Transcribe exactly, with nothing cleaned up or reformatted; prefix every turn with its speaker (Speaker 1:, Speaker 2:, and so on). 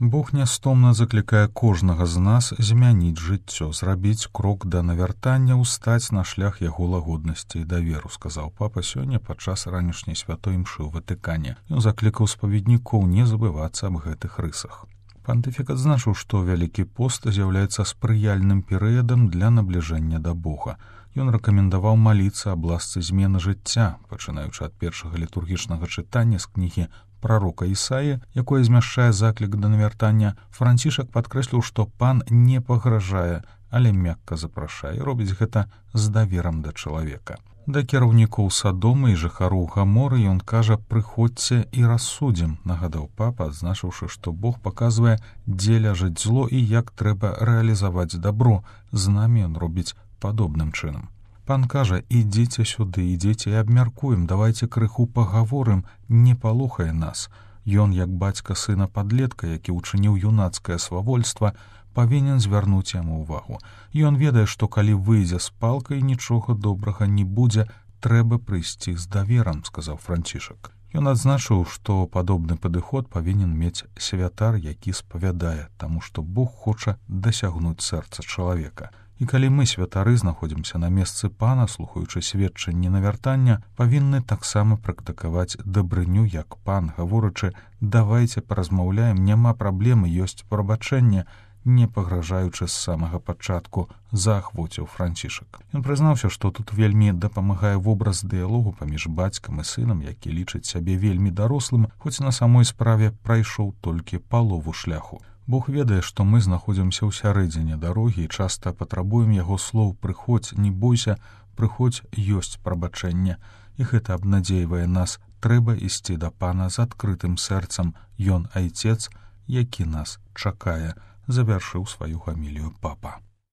Speaker 1: Бог нястомна заклікае кожнага з нас змяніць жыццё, зрабіць крок да навяртання, устаць на шлях яго лагоднасці і даверу, сказаў папа сёння падчас ранішняй святой імшы ў Ватыкане. Ён заклікаў спаведнікоў не забывацца аб гэтых рысах. Пантыфік адзначыў, што Вялікі пост з'яўляецца спрыяльным перыядам для набліжэння да Бога. Ён рэкамендаваў маліцца аб ласцы змены жыцця, пачынаючы ад першага літургічнага чытання з кнігі прарока Ісаі, якое змяшчае заклік да навяртання. Францішак падкрэсліў, што пан не пагражае, але мякка запрашае, і робіць гэта з даверам да чалавека. Да кіраўнікоў Садома і жыхароў Гаморы ён кажа: «Прыходзьце і рассудзім», нагадаў папа, адзначыўшы, што Бог паказвае, дзе ляжыць зло і як трэба рэалізаваць дабро. З намі ён робіць падобным чынам. Пан кажа: «Ідзіце сюды, ідзіце і абмяркуем, давайце крыху пагаворым, не палохае нас». Ён, як бацька сына падлетка, які ўчыніў юнацкае свавольства, павінен звярнуць яму ўвагу. Ён ведае, што калі выйдзе з палкай, нічога добрага не будзе, трэба прыйсці з даверам, сказаў Францішак. Ён адзначыў, што падобны падыход павінен мець святар, які спавядае, таму што Бог хоча дасягнуць сэрца чалавека. І калі мы, святары, знаходзімся на месцы пана, слухаючы сведчанні навяртання, павінны таксама практыкаваць дабрыню, як пан, гаворачы: «Давайце паразмаўляем, няма праблемы, ёсць прабачэнне», не пагражаючы з самага пачатку, заахвоціў Францішак. Ён прызнаўся, што тут вельмі дапамагае вобраз дыялогу паміж бацькам і сынам, які лічыць сябе вельмі дарослым, хоць на самой справе прайшоў толькі палову шляху. Бог ведае, што мы знаходзімся ў сярэдзіне дарогі і часта патрабуем яго слоў: «Прыходзь, не бойся, прыходзь, ёсць прабачэнне». І гэта абнадзейвае нас. Трэба ісці да пана з адкрытым сэрцам. Ён айцец, які нас чакае, завяршыў сваю гамілію папа.